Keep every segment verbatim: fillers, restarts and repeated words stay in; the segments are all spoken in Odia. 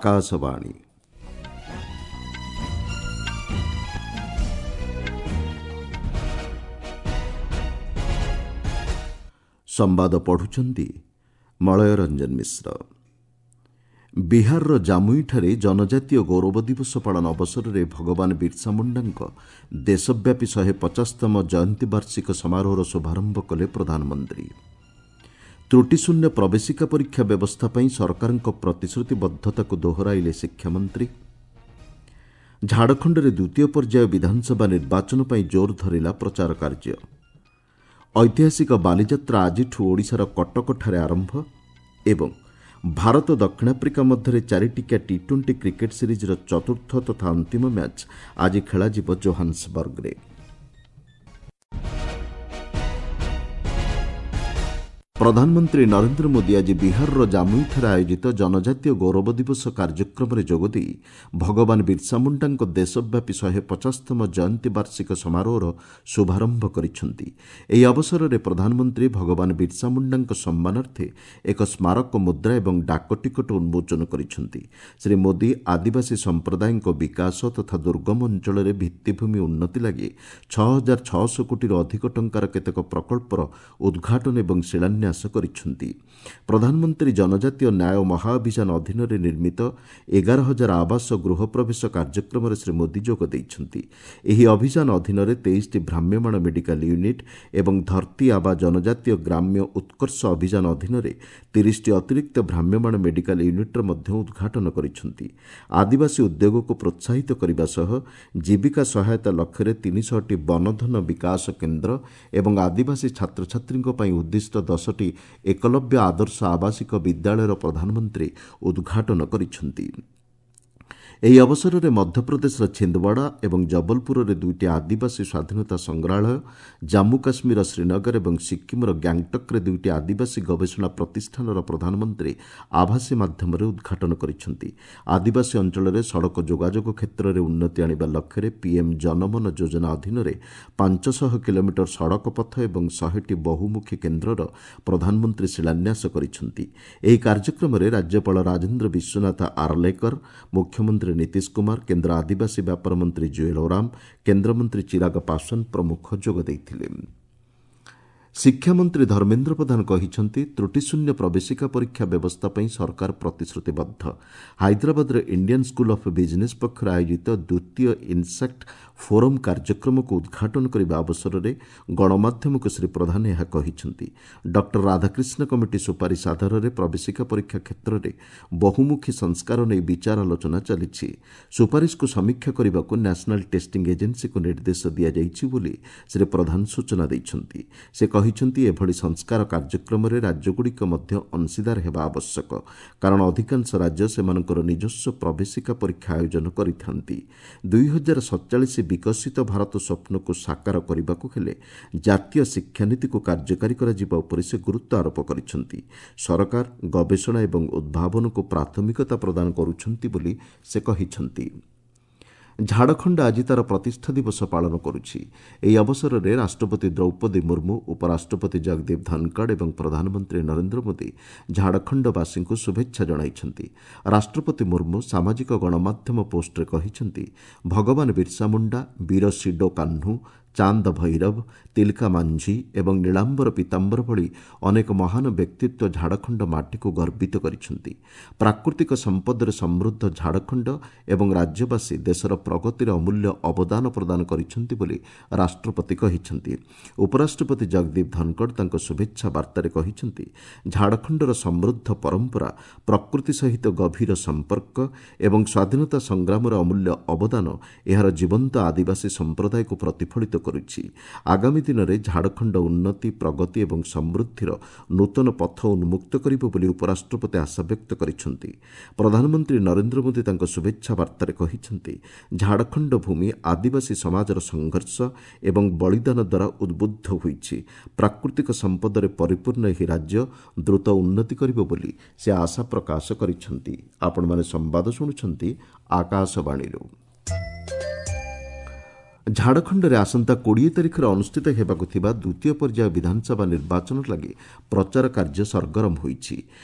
ଆକାଶବାଣୀ। ସମ୍ବାଦ ପଢ଼ୁଛନ୍ତି ମଳୟ ରଞ୍ଜନ ମିଶ୍ର। ବିହାରର ଜାମୁଇଠାରେ ଜନଜାତୀୟ ଗୌରବ ଦିବସ ପାଳନ ଅବସରରେ ଭଗବାନ ବିର୍ସା ମୁଣ୍ଡାଙ୍କ ଦେଶବ୍ୟାପୀ ଶହେ ପଚାଶତମ ଜୟନ୍ତୀ ବାର୍ଷିକ ସମାରୋହର ଶୁଭାରମ୍ଭ କଲେ ପ୍ରଧାନମନ୍ତ୍ରୀ। ତ୍ରୁଟିଶୂନ୍ୟ ପ୍ରବେଶିକା ପରୀକ୍ଷା ବ୍ୟବସ୍ଥା ପାଇଁ ସରକାରଙ୍କ ପ୍ରତିଶ୍ରୁତିବଦ୍ଧତାକୁ ଦୋହରାଇଲେ ଶିକ୍ଷାମନ୍ତ୍ରୀ। ଝାଡ଼ଖଣ୍ଡରେ ଦ୍ୱିତୀୟ ପର୍ଯ୍ୟାୟ ବିଧାନସଭା ନିର୍ବାଚନ ପାଇଁ ଜୋର ଧରିଲା ପ୍ରଚାର କାର୍ଯ୍ୟ। ଐତିହାସିକ ବାଲିଯାତ୍ରା ଆଜିଠୁ ଓଡ଼ିଶାର କଟକଠାରେ ଆରମ୍ଭ ଏବଂ ଭାରତ ଦକ୍ଷିଣ ଆଫ୍ରିକା ମଧ୍ୟରେ ଚାରିଟିକିଆ ଟି ଟ୍ୱେଣ୍ଟି କ୍ରିକେଟ୍ ସିରିଜ୍ର ଚତୁର୍ଥ ତଥା ଅନ୍ତିମ ମ୍ୟାଚ୍ ଆଜି ଖେଳାଯିବ ଜୋହାନ୍ସବର୍ଗରେ। ପ୍ରଧାନମନ୍ତ୍ରୀ ନରେନ୍ଦ୍ର ମୋଦି ଆଜି ବିହାରର ଜାମୁଇଠାରେ ଆୟୋଜିତ ଜନଜାତୀୟ ଗୌରବ ଦିବସ କାର୍ଯ୍ୟକ୍ରମରେ ଯୋଗଦେଇ ଭଗବାନ ବିର୍ସା ମୁଣ୍ଡାଙ୍କ ଦେଶବ୍ୟାପୀ ଶହେ ପଚାଶତମ ଜୟନ୍ତୀ ବାର୍ଷିକ ସମାରୋହର ଶୁଭାରମ୍ଭ କରିଛନ୍ତି। ଏହି ଅବସରରେ ପ୍ରଧାନମନ୍ତ୍ରୀ ଭଗବାନ ବିର୍ସା ମୁଣ୍ଡାଙ୍କ ସମ୍ମାନାର୍ଥେ ଏକ ସ୍ମାରକ ମୁଦ୍ରା ଏବଂ ଡାକଟିକଟ ଉନ୍ମୋଚନ କରିଛନ୍ତି। ଶ୍ରୀ ମୋଦି ଆଦିବାସୀ ସମ୍ପ୍ରଦାୟଙ୍କ ବିକାଶ ତଥା ଦୁର୍ଗମ ଅଞ୍ଚଳରେ ଭିତ୍ତିଭୂମି ଉନ୍ନତି ଲାଗି ଛଅ ହଜାର ଛଅଶହ କୋଟିରୁ ଅଧିକ ଟଙ୍କାର କେତେକ ପ୍ରକଳ୍ପର ଉଦ୍ଘାଟନ ଏବଂ ଶିଳାନ୍ୟାସ କରିଛନ୍ତି। ପ୍ରଧାନମନ୍ତ୍ରୀ ଜନଜାତୀୟ ନ୍ୟାୟ ମହାଅଭିଯାନ ଅଧୀନରେ ନିର୍ମିତ ଏଗାର ହଜାର ଆବାସ ଗୃହ ପ୍ରବେଶ କାର୍ଯ୍ୟକ୍ରମରେ ଶ୍ରୀ ମୋଦି ଯୋଗ ଦେଇଛନ୍ତି। ଏହି ଅଭିଯାନ ଅଧୀନରେ ତେଇଶଟି ଭ୍ରାମ୍ୟମାଣ ମେଡିକାଲ ୟୁନିଟ୍ ଏବଂ ଧରତୀ ଆବା ଜନଜାତୀୟ ଗ୍ରାମ୍ୟ ଉତ୍କର୍ଷ ଅଭିଯାନ ଅଧୀନରେ ତିରିଶଟି ଅତିରିକ୍ତ ଭ୍ରାମ୍ୟମାଣ ମେଡିକାଲ ୟୁନିଟ୍ର ମଧ୍ୟ ଉଦ୍ଘାଟନ କରିଛନ୍ତି। ଆଦିବାସୀ ଉଦ୍ୟୋଗକୁ ପ୍ରୋତ୍ସାହିତ କରିବା ସହ ଜୀବିକା ସହାୟତା ଲକ୍ଷ୍ୟରେ ତିନିଶହଟି ବନଧନ ବିକାଶ କେନ୍ଦ୍ର ଏବଂ ଆଦିବାସୀ ଛାତ୍ରଛାତ୍ରୀଙ୍କ ପାଇଁ ଉଦ୍ଦିଷ୍ଟ ଦଶଟି ଏକଲବ୍ୟ ଆଦର୍ଶ ଆବାସିକ ବିଦ୍ୟାଳୟର ପ୍ରଧାନମନ୍ତ୍ରୀ ଉଦ୍ଘାଟନ କରିଛନ୍ତି। ଏହି ଅବସରରେ ମଧ୍ୟପ୍ରଦେଶର ଛିନ୍ଦୱାଡ଼ା ଏବଂ ଜବଲପୁରରେ ଦୁଇଟି ଆଦିବାସୀ ସ୍ୱାଧୀନତା ସଂଗ୍ରହାଳୟ, ଜାମ୍ମୁ କାଶ୍ମୀରର ଶ୍ରୀନଗର ଏବଂ ସିକ୍କିମ୍ର ଗ୍ୟାଙ୍ଗଟକ୍ରେ ଦୁଇଟି ଆଦିବାସୀ ଗବେଷଣା ପ୍ରତିଷ୍ଠାନର ପ୍ରଧାନମନ୍ତ୍ରୀ ଆଭାସୀ ମାଧ୍ୟମରେ ଉଦ୍ଘାଟନ କରିଛନ୍ତି। ଆଦିବାସୀ ଅଞ୍ଚଳରେ ସଡ଼କ ଯୋଗାଯୋଗ କ୍ଷେତ୍ରରେ ଉନ୍ନତି ଆଣିବା ଲକ୍ଷ୍ୟରେ ପିଏମ୍ ଜନମନ ଯୋଜନା ଅଧୀନରେ ପାଞ୍ଚଶହ କିଲୋମିଟର ସଡ଼କ ପଥ ଏବଂ ଶହେଟି ବହୁମୁଖୀ କେନ୍ଦ୍ରର ପ୍ରଧାନମନ୍ତ୍ରୀ ଶିଳାନ୍ୟାସ କରିଛନ୍ତି। ଏହି କାର୍ଯ୍ୟକ୍ରମରେ ରାଜ୍ୟପାଳ ରାଜେନ୍ଦ୍ର ବିଶ୍ୱନାଥ ଆର୍ଲେକର, ମୁଖ୍ୟମନ୍ତ୍ରୀ ନୀତିଶ କୁମାର, କେନ୍ଦ୍ର ଆଦିବାସୀ ବ୍ୟାପାର ମନ୍ତ୍ରୀ ଜୁଏଲ ଓରାମ, କେନ୍ଦ୍ରମନ୍ତ୍ରୀ ଚିରାଗ ପାଶୱାନ ପ୍ରମୁଖ ଯୋଗ ଦେଇଥିଲେ। ଶିକ୍ଷାମନ୍ତ୍ରୀ ଧର୍ମେନ୍ଦ୍ର ପ୍ରଧାନ କହିଛନ୍ତି, ତ୍ରୁଟିଶୂନ୍ୟ ପ୍ରବେଶିକା ପରୀକ୍ଷା ବ୍ୟବସ୍ଥା ପାଇଁ ସରକାର ପ୍ରତିଶ୍ରୁତିବଦ୍ଧ। ହାଇଦ୍ରାବାଦର ଇଣ୍ଡିଆନ୍ ସ୍କୁଲ ଅଫ୍ ବିଜିନେସ୍ ପକ୍ଷରୁ ଆୟୋଜିତ ଦ୍ୱିତୀୟ ଇନ୍ସାକ୍ଟ ଫୋରମ୍ କାର୍ଯ୍ୟକ୍ରମକୁ ଉଦ୍ଘାଟନ କରିବା ଅବସରରେ ଗଣମାଧ୍ୟମକୁ ଶ୍ରୀ ପ୍ରଧାନ ଏହା କହିଛନ୍ତି। ଡକ୍ଟର ରାଧାକ୍ରିଷ୍ଣ କମିଟି ସୁପାରିଶ ଆଧାରରେ ପ୍ରବେଶିକା ପରୀକ୍ଷା କ୍ଷେତ୍ରରେ ବହୁମୁଖୀ ସଂସ୍କାର ନେଇ ବିଚାର ଆଲୋଚନା ଚାଲିଛି। ସୁପାରିଶକୁ ସମୀକ୍ଷା କରିବାକୁ ନ୍ୟାସନାଲ୍ ଟେଷ୍ଟିଂ ଏଜେନ୍ସିକୁ ନିର୍ଦ୍ଦେଶ ଦିଆଯାଇଛି ବୋଲି ଶ୍ରୀ ପ୍ରଧାନ ସୂଚନା ଦେଇଛନ୍ତି। ସେ କହିଛନ୍ତି, ଏଭଳି ସଂସ୍କାର କାର୍ଯ୍ୟକ୍ରମରେ ରାଜ୍ୟଗୁଡ଼ିକ ମଧ୍ୟ ଅଂଶୀଦାର ହେବା ଆବଶ୍ୟକ, କାରଣ ଅଧିକାଂଶ ରାଜ୍ୟ ସେମାନଙ୍କର ନିଜସ୍ୱ ପ୍ରବେଶିକା ପରୀକ୍ଷା ଆୟୋଜନ କରିଥାନ୍ତି। ଦୁଇ ହଜାର ସତଚାଳିଶ ବିକଶିତ ଭାରତ ସ୍ୱପ୍ନକୁ ସାକାର କରିବାକୁ ହେଲେ ଜାତୀୟ ଶିକ୍ଷାନୀତିକୁ କାର୍ଯ୍ୟକାରୀ କରାଯିବା ଉପରେ ସେ ଗୁରୁତ୍ୱ ଆରୋପ କରିଛନ୍ତି। ସରକାର ଗବେଷଣା ଏବଂ ଉଦ୍ଭାବନକୁ ପ୍ରାଥମିକତା ପ୍ରଦାନ କରୁଛନ୍ତି ବୋଲି ସେ କହିଛନ୍ତି। ଝାଡ଼ଖଣ୍ଡ ଆଜି ତା'ର ପ୍ରତିଷ୍ଠା ଦିବସ ପାଳନ କରୁଛି। ଏହି ଅବସରରେ ରାଷ୍ଟ୍ରପତି ଦ୍ରୌପଦୀ ମୁର୍ମୁ, ଉପରାଷ୍ଟ୍ରପତି ଜଗଦୀପ ଧନଖଡ଼ ଏବଂ ପ୍ରଧାନମନ୍ତ୍ରୀ ନରେନ୍ଦ୍ର ମୋଦି ଝାଡ଼ଖଣ୍ଡବାସୀଙ୍କୁ ଶୁଭେଚ୍ଛା ଜଣାଇଛନ୍ତି। ରାଷ୍ଟ୍ରପତି ମୁର୍ମୁ ସାମାଜିକ ଗଣମାଧ୍ୟମ ପୋଷ୍ଟରେ କହିଛନ୍ତି, ଭଗବାନ ବିର୍ସା ମୁଣ୍ଡା, ବୀର ସିଡୋ କାହ୍ନୁ, ଚାନ୍ଦ ଭୈରବ, ତିଲକା ମାଞ୍ଝି ଏବଂ ନୀଳାମ୍ବର ପୀତାମ୍ବର ଭଳି ଅନେକ ମହାନ ବ୍ୟକ୍ତିତ୍ୱ ଝାଡ଼ଖଣ୍ଡ ମାଟିକୁ ଗର୍ବିତ କରିଛନ୍ତି। ପ୍ରାକୃତିକ ସମ୍ପଦରେ ସମୃଦ୍ଧ ଝାଡ଼ଖଣ୍ଡ ଏବଂ ରାଜ୍ୟବାସୀ ଦେଶର ପ୍ରଗତିରେ ଅମୂଲ୍ୟ ଅବଦାନ ପ୍ରଦାନ କରିଛନ୍ତି ବୋଲି ରାଷ୍ଟ୍ରପତି କହିଛନ୍ତି। ଉପରାଷ୍ଟ୍ରପତି ଜଗଦୀପ ଧନଖଡ଼ ତାଙ୍କ ଶୁଭେଚ୍ଛା ବାର୍ତ୍ତାରେ କହିଛନ୍ତି, ଝାଡ଼ଖଣ୍ଡର ସମୃଦ୍ଧ ପରମ୍ପରା, ପ୍ରକୃତି ସହିତ ଗଭୀର ସମ୍ପର୍କ ଏବଂ ସ୍ୱାଧୀନତା ସଂଗ୍ରାମର ଅମୂଲ୍ୟ ଅବଦାନ ଏହାର ଜୀବନ୍ତ ଆଦିବାସୀ ସମ୍ପ୍ରଦାୟକୁ ପ୍ରତିଫଳିତ କରୁଛି। ଆଗାମୀ ଦିନରେ ଝାଡ଼ଖଣ୍ଡ ଉନ୍ନତି, ପ୍ରଗତି ଏବଂ ସମୃଦ୍ଧିର ନୂତନ ପଥ ଉନ୍ମୁକ୍ତ କରିବ ବୋଲି ଉପରାଷ୍ଟ୍ରପତି ଆଶାବ୍ୟକ୍ତ କରିଛନ୍ତି। ପ୍ରଧାନମନ୍ତ୍ରୀ ନରେନ୍ଦ୍ର ମୋଦି ତାଙ୍କ ଶୁଭେଚ୍ଛା ବାର୍ତ୍ତାରେ କହିଛନ୍ତି, ଝାଡ଼ଖଣ୍ଡ ଭୂମି ଆଦିବାସୀ ସମାଜର ସଂଘର୍ଷ ଏବଂ ବଳିଦାନ ଦ୍ୱାରା ଉଦ୍ବୁଦ୍ଧ ହୋଇଛି। ପ୍ରାକୃତିକ ସମ୍ପଦରେ ପରିପୂର୍ଣ୍ଣ ଏହି ରାଜ୍ୟ ଦ୍ରୁତ ଉନ୍ନତି କରିବ ବୋଲି ସେ ଆଶା ପ୍ରକାଶ କରିଛନ୍ତି। ଆପଣମାନେ ସମ୍ବାଦ ଶୁଣୁଛନ୍ତି ଆକାଶବାଣୀରୁ। ଝାଡ଼ଖଣ୍ଡରେ ଆସନ୍ତା କୋଡ଼ିଏ ତାରିଖରେ ଅନୁଷ୍ଠିତ ହେବାକୁ ଥିବା ଦ୍ୱିତୀୟ ପର୍ଯ୍ୟାୟ ବିଧାନସଭା ନିର୍ବାଚନ ଲାଗି ପ୍ରଚାର କାର୍ଯ୍ୟ ସରଗରମ ହୋଇଛି।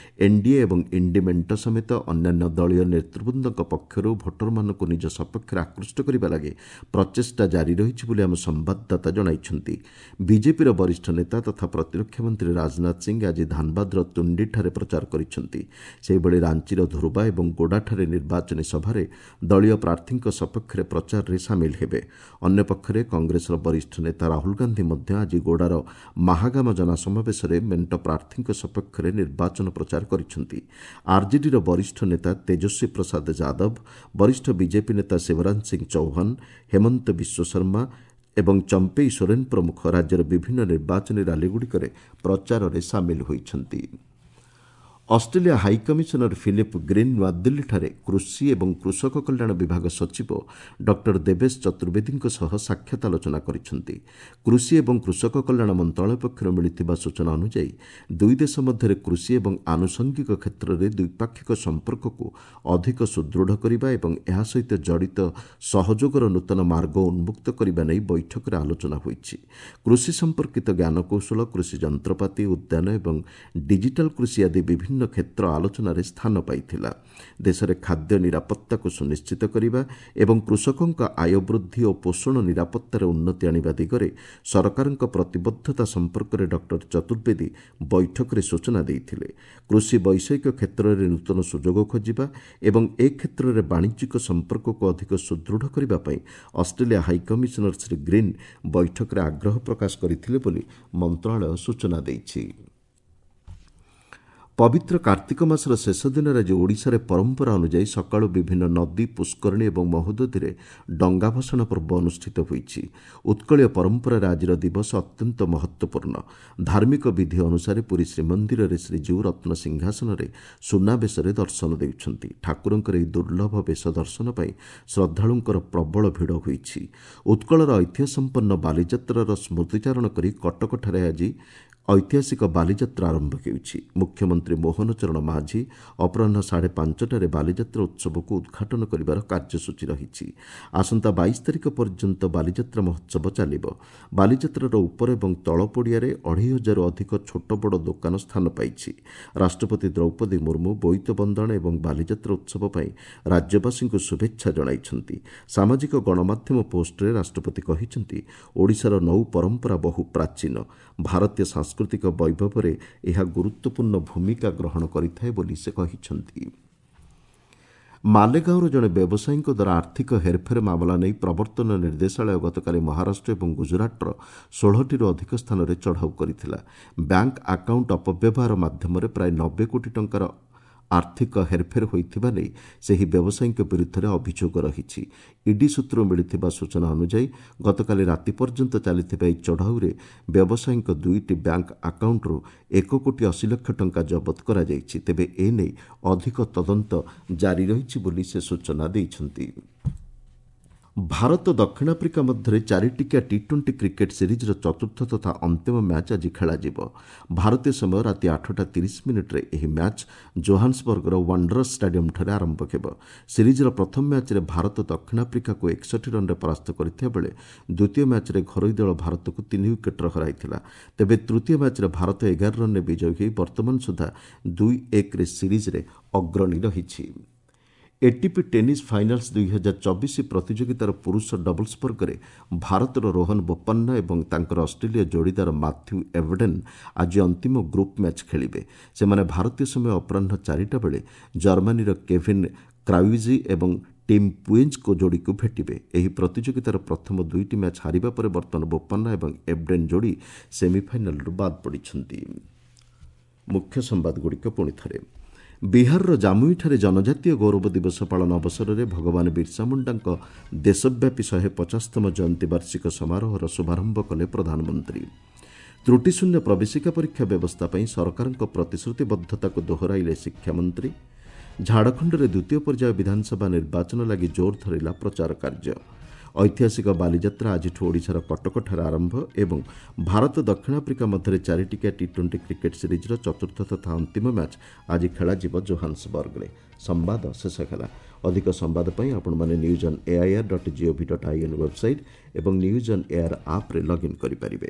ଏନ୍ଡିଏ ଏବଂ ଇଣ୍ଡି ମେଣ୍ଟ ସମେତ ଅନ୍ୟାନ୍ୟ ଦଳୀୟ ନେତୃବୃନ୍ଦଙ୍କ ପକ୍ଷରୁ ଭୋଟରମାନଙ୍କୁ ନିଜ ସପକ୍ଷରେ ଆକୃଷ୍ଟ କରିବା ଲାଗି ପ୍ରଚେଷ୍ଟା ଜାରି ରହିଛି ବୋଲି ଆମ ସମ୍ବାଦଦାତା ଜଣାଇଛନ୍ତି। ବିଜେପିର ବରିଷ୍ଠ ନେତା ତଥା ପ୍ରତିରକ୍ଷା ମନ୍ତ୍ରୀ ରାଜନାଥ ସିଂ ଆଜି ଧାନବାଦର ତୁଣ୍ଡିଠାରେ ପ୍ରଚାର କରିଛନ୍ତି। ସେହିଭଳି ରାଞ୍ଚିର ଧୁର୍ବା ଏବଂ ଗୋଡ଼ାଠାରେ ନିର୍ବାଚନୀ ସଭାରେ ଦଳୀୟ ପ୍ରାର୍ଥୀଙ୍କ ସପକ୍ଷରେ ପ୍ରଚାରରେ ସାମିଲ ହେବେ। ଅନ୍ୟପକ୍ଷରେ କଂଗ୍ରେସର ବରିଷ୍ଠ ନେତା ରାହୁଲ ଗାନ୍ଧୀ ମଧ୍ୟ ଆଜି ଗୋଡ଼ାର ମାହାଗାମ ଜନସମାବେଶରେ ମେଣ୍ଟ ପ୍ରାର୍ଥୀଙ୍କ ସପକ୍ଷରେ ନିର୍ବାଚନ ପ୍ରଚାର କରିଛନ୍ତି। ଆର୍ଜେଡିର ବରିଷ୍ଠ ନେତା ତେଜସ୍ୱୀ ପ୍ରସାଦ ଯାଦବ, ବରିଷ୍ଠ ବିଜେପି ନେତା ଶିବରାଜ ସିଂ ଚୌହାନ, ହେମନ୍ତ ବିଶ୍ୱଶର୍ମା ଏବଂ ଚମ୍ପେଇ ସୋରେନ୍ ପ୍ରମୁଖ ରାଜ୍ୟର ବିଭିନ୍ନ ନିର୍ବାଚନୀ ରାଲିଗୁଡ଼ିକରେ ପ୍ରଚାରରେ ସାମିଲ ହୋଇଛନ୍ତି। Australia high commissioner Philip green ନୂଆଦିଲ୍ଲୀଠାରେ କୃଷି ଏବଂ କୃଷକ କଲ୍ୟାଣ ବିଭାଗ ସଚିବ ଡକ୍ଟର ଦେବେଶ ଚତୁର୍ବେଦୀଙ୍କ ସହ ସାକ୍ଷାତ ଆଲୋଚନା କରିଛନ୍ତି। କୃଷି ଏବଂ କୃଷକ କଲ୍ୟାଣ ମନ୍ତ୍ରଣାଳୟ ପକ୍ଷରୁ ମିଳିଥିବା ସୂଚନା ଅନୁଯାୟୀ ଦୁଇ ଦେଶ ମଧ୍ୟରେ କୃଷି ଏବଂ ଆନୁଷଙ୍ଗିକ କ୍ଷେତ୍ରରେ ଦ୍ୱିପାକ୍ଷିକ ସମ୍ପର୍କକୁ ଅଧିକ ସୁଦୃଢ଼ କରିବା ଏବଂ ଏହା ସହିତ ଜଡ଼ିତ ସହଯୋଗର ନୂତନ ମାର୍ଗ ଉନ୍ମୁକ୍ତ କରିବା ନେଇ ବୈଠକରେ ଆଲୋଚନା ହୋଇଛି। କୃଷି ସମ୍ପର୍କିତ ଜ୍ଞାନକୌଶଳ, କୃଷି ଯନ୍ତ୍ରପାତି, ଉଦ୍ୟାନ ଏବଂ ଡିଜିଟାଲ କୃଷି ଆଦି ବିଭିନ୍ନ କ୍ଷେତ୍ର ଆଲୋଚନାରେ ସ୍ଥାନ ପାଇଥିଲା। ଦେଶରେ ଖାଦ୍ୟ ନିରାପତ୍ତାକୁ ସୁନିଶ୍ଚିତ କରିବା ଏବଂ କୃଷକଙ୍କ ଆୟ ବୃଦ୍ଧି ଓ ପୋଷଣ ନିରାପତ୍ତାରେ ଉନ୍ନତି ଆଣିବା ଦିଗରେ ସରକାରଙ୍କ ପ୍ରତିବଦ୍ଧତା ସମ୍ପର୍କରେ ଡକ୍ଟର ଚତୁର୍ବେଦୀ ବୈଠକରେ ସୂଚନା ଦେଇଥିଲେ। କୃଷି ବୈଷୟିକ କ୍ଷେତ୍ରରେ ନୂତନ ସୁଯୋଗ ଖୋଜିବା ଏବଂ ଏ କ୍ଷେତ୍ରରେ ବାଣିଜ୍ୟିକ ସମ୍ପର୍କକୁ ଅଧିକ ସୁଦୃଢ଼ କରିବା ପାଇଁ ଅଷ୍ଟ୍ରେଲିଆ ହାଇକମିଶନର ଶ୍ରୀ ଗ୍ରୀନ୍ ବୈଠକରେ ଆଗ୍ରହ ପ୍ରକାଶ କରିଥିଲେ ବୋଲି ମନ୍ତ୍ରଣାଳୟ ସୂଚନା ଦେଇଛି। ପବିତ୍ର କାର୍ତ୍ତିକ ମାସର ଶେଷ ଦିନରେ ଆଜି ଓଡ଼ିଶାରେ ପରମ୍ପରା ଅନୁଯାୟୀ ସକାଳୁ ବିଭିନ୍ନ ନଦୀ, ପୁଷ୍କରିଣୀ ଏବଂ ମହୋଦଧିରେ ଡଙ୍ଗା ଭସାଣ ପର୍ବ ଅନୁଷ୍ଠିତ ହୋଇଛି। ଉତ୍କଳୀୟ ପରମ୍ପରାରେ ଆଜିର ଦିବସ ଅତ୍ୟନ୍ତ ମହତ୍ତ୍ୱପୂର୍ଣ୍ଣ। ଧାର୍ମିକ ବିଧି ଅନୁସାରେ ପୁରୀ ଶ୍ରୀମନ୍ଦିରରେ ଶ୍ରୀଜୀଉ ରତ୍ନ ସିଂହାସନରେ ସୁନାବେଶରେ ଦର୍ଶନ ଦେଉଛନ୍ତି। ଠାକୁରଙ୍କର ଏହି ଦୁର୍ଲଭ ବେଶ ଦର୍ଶନ ପାଇଁ ଶ୍ରଦ୍ଧାଳୁଙ୍କର ପ୍ରବଳ ଭିଡ଼ ହୋଇଛି। ଉତ୍କଳର ଐତିହ୍ୟ ସମ୍ପନ୍ନ ବାଲିଯାତ୍ରାର ସ୍ମୃତିଚାରଣ କରି କଟକଠାରେ ଆଜି ଐତିହାସିକ ବାଲିଯାତ୍ରା ଆରମ୍ଭ ହେଉଛି। ମୁଖ୍ୟମନ୍ତ୍ରୀ ମୋହନ ଚରଣ ମାଝୀ ଅପରାହ୍ନ ସାଢ଼େ ପାଞ୍ଚଟାରେ ବାଲିଯାତ୍ରା ଉତ୍ସବକୁ ଉଦ୍ଘାଟନ କରିବାର କାର୍ଯ୍ୟସୂଚୀ ରହିଛି। ଆସନ୍ତା ବାଇଶ ତାରିଖ ପର୍ଯ୍ୟନ୍ତ ବାଲିଯାତ୍ରା ମହୋତ୍ସବ ଚାଲିବ। ବାଲିଯାତ୍ରାର ଉପର ଏବଂ ତଳ ପଡ଼ିଆରେ ଅଢ଼େଇ ହଜାରରୁ ଅଧିକ ଛୋଟ ବଡ଼ ଦୋକାନ ସ୍ଥାନ ପାଇଛି। ରାଷ୍ଟ୍ରପତି ଦ୍ରୌପଦୀ ମୁର୍ମୁ ବୋଇତ ବନ୍ଦାଣ ଏବଂ ବାଲିଯାତ୍ରା ଉତ୍ସବ ପାଇଁ ରାଜ୍ୟବାସୀଙ୍କୁ ଶୁଭେଚ୍ଛା ଜଣାଇଛନ୍ତି। ସାମାଜିକ ଗଣମାଧ୍ୟମ ପୋଷ୍ଟରେ ରାଷ୍ଟ୍ରପତି କହିଛନ୍ତି, ଓଡ଼ିଶାର ନୌ ପରମ୍ପରା ବହୁ ପ୍ରାଚୀନ। ଭାରତୀୟ ସାଂସ୍କୃତିକ ବୈଭବରେ ଏହା ଗୁରୁତ୍ୱପୂର୍ଣ୍ଣ ଭୂମିକା ଗ୍ରହଣ କରିଥାଏ ବୋଲି ସେ କହିଛନ୍ତି। ମାଲେଗାଁର ଜଣେ ବ୍ୟବସାୟୀଙ୍କ ଦ୍ୱାରା ଆର୍ଥିକ ହେରଫେର ମାମଲା ନେଇ ପ୍ରବର୍ତ୍ତନ ନିର୍ଦ୍ଦେଶାଳୟ ଗତକାଲି ମହାରାଷ୍ଟ୍ର ଏବଂ ଗୁଜରାଟର ଷୋହଳଟିରୁ ଅଧିକ ସ୍ଥାନରେ ଚଢ଼ାଉ କରିଥିଲା। ବ୍ୟାଙ୍କ ଆକାଉଣ୍ଟ ଅପବ୍ୟବହାର ମାଧ୍ୟମରେ ପ୍ରାୟ ନବେ କୋଟି ଟଙ୍କାର ଆର୍ଥିକ ହେରଫେର ହୋଇଥିବା ନେଇ ସେହି ବ୍ୟବସାୟୀଙ୍କ ବିରୁଦ୍ଧରେ ଅଭିଯୋଗ ରହିଛି। ଇଡି ସୂତ୍ରରୁ ମିଳିଥିବା ସୂଚନା ଅନୁଯାୟୀ ଗତକାଲି ରାତି ପର୍ଯ୍ୟନ୍ତ ଚାଲିଥିବା ଏହି ଚଢ଼ାଉରେ ବ୍ୟବସାୟୀଙ୍କ ଦୁଇଟି ବ୍ୟାଙ୍କ ଆକାଉଣ୍ଟରୁ ଏକ କୋଟି ଅଶୀ ଲକ୍ଷ ଟଙ୍କା ଜବତ କରାଯାଇଛି। ତେବେ ଏ ନେଇ ଅଧିକ ତଦନ୍ତ ଜାରି ରହିଛି ବୋଲି ସେ ସୂଚନା ଦେଇଛନ୍ତି। ଭାରତ ଦକ୍ଷିଣ ଆଫ୍ରିକା ମଧ୍ୟରେ ଚାରିଟିକିଆ ଟି ଟ୍ୱେଣ୍ଟି କ୍ରିକେଟ୍ ସିରିଜ୍ର ଚତୁର୍ଥ ତଥା ଅନ୍ତିମ ମ୍ୟାଚ୍ ଆଜି ଖେଳାଯିବ। ଭାରତୀୟ ସମୟ ରାତି ଆଠଟା ତିରିଶ ମିନିଟ୍ରେ ଏହି ମ୍ୟାଚ୍ ଜୋହାନ୍ସବର୍ଗର ୱାଣ୍ଡରର୍ସ ଷ୍ଟାଡିୟମ୍ଠାରେ ଆରମ୍ଭ ହେବ। ସିରିଜ୍ର ପ୍ରଥମ ମ୍ୟାଚ୍ରେ ଭାରତ ଦକ୍ଷିଣ ଆଫ୍ରିକାକୁ ଏକଷଠି ରନ୍ରେ ପରାସ୍ତ କରିଥିବା ବେଳେ ଦ୍ୱିତୀୟ ମ୍ୟାଚ୍ରେ ଘରୋଇ ଦଳ ଭାରତକୁ ତିନି ୱିକେଟ୍ରେ ହରାଇଥିଲା। ତେବେ ତୃତୀୟ ମ୍ୟାଚ୍ରେ ଭାରତ ଏଗାର ରନ୍ରେ ବିଜୟୀ ହୋଇ ବର୍ତ୍ତମାନ ସୁଦ୍ଧା ଦୁଇ ଏକରେ ସିରିଜ୍ରେ ଅଗ୍ରଣୀ ରହିଛି। ଏଟିପି ଟେନିସ୍ ଫାଇନାଲ୍ସ ଦୁଇହଜାର ଚବିଶ ପ୍ରତିଯୋଗିତାର ପୁରୁଷ ଡବଲ୍ସ ବର୍ଗରେ ଭାରତର ରୋହନ ବୋପାନ୍ନା ଏବଂ ତାଙ୍କର ଅଷ୍ଟ୍ରେଲୀୟ ଯୋଡ଼ିଦାର ମାଥ୍ୟୁ ଏଭଡେନ୍ ଆଜି ଅନ୍ତିମ ଗ୍ରୁପ୍ ମ୍ୟାଚ୍ ଖେଳିବେ। ସେମାନେ ଭାରତୀୟ ସମୟ ଅପରାହ୍ନ ଚାରିଟା ବେଳେ ଜର୍ମାନୀର କେଭିନ୍ କ୍ରାଉଜି ଏବଂ ଟିମ୍ ପୁଏଞ୍ଜଙ୍କ ଯୋଡ଼ିକୁ ଭେଟିବେ। ଏହି ପ୍ରତିଯୋଗିତାର ପ୍ରଥମ ଦୁଇଟି ମ୍ୟାଚ୍ ହାରିବା ପରେ ବର୍ତ୍ତମାନ ବୋପାନ୍ନା ଏବଂ ଏଭଡେନ୍ ଯୋଡ଼ି ସେମିଫାଇନାଲ୍ରୁ ବାଦ୍ ପଡ଼ିଛନ୍ତି। ମୁଖ୍ୟ ସମ୍ବାଦଗୁଡ଼ିକ ପୁଣି ଥରେ। ବିହାରର ଜାମୁଇଠାରେ ଜନଜାତୀୟ ଗୌରବ ଦିବସ ପାଳନ ଅବସରରେ ଭଗବାନ ବିର୍ସା ମୁଣ୍ଡାଙ୍କ ଦେଶବ୍ୟାପୀ ଶହେ ପଚାଶତମ ଜୟନ୍ତୀ ବାର୍ଷିକ ସମାରୋହର ଶୁଭାରମ୍ଭ କଲେ ପ୍ରଧାନମନ୍ତ୍ରୀ। ତ୍ରୁଟିଶୂନ୍ୟ ପ୍ରବେଶିକା ପରୀକ୍ଷା ବ୍ୟବସ୍ଥା ପାଇଁ ସରକାରଙ୍କ ପ୍ରତିଶ୍ରୁତିବଦ୍ଧତାକୁ ଦୋହରାଇଲେ ଶିକ୍ଷାମନ୍ତ୍ରୀ। ଝାଡ଼ଖଣ୍ଡରେ ଦ୍ୱିତୀୟ ପର୍ଯ୍ୟାୟ ବିଧାନସଭା ନିର୍ବାଚନ ଲାଗି ଜୋର ଧରିଲା ପ୍ରଚାର କାର୍ଯ୍ୟ। ଐତିହାସିକ ବାଲିଯାତ୍ରା ଆଜିଠୁ ଓଡ଼ିଶାର କଟକଠାରେ ଆରମ୍ଭ ଏବଂ ଭାରତ ଦକ୍ଷିଣ ଆଫ୍ରିକା ମଧ୍ୟରେ ଚାରିଟିକିଆ ଟି ଟ୍ୱେଣ୍ଟି କ୍ରିକେଟ୍ ସିରିଜ୍ର ଚତୁର୍ଥ ତଥା ଅନ୍ତିମ ମ୍ୟାଚ୍ ଆଜି ଖେଳାଯିବ ଜୋହାନ୍ସବର୍ଗରେ। ସମ୍ବାଦ ଶେଷ ହେଲା। ଅଧିକ ସମ୍ବାଦ ପାଇଁ ଆପଣମାନେ news on AIR dot gov dot in website ଏବଂ ନ୍ୟୁଜ୍ ଅନ୍ ଏଆର୍ ଆପ୍ରେ ଲଗ୍ଇନ୍ କରିପାରିବେ।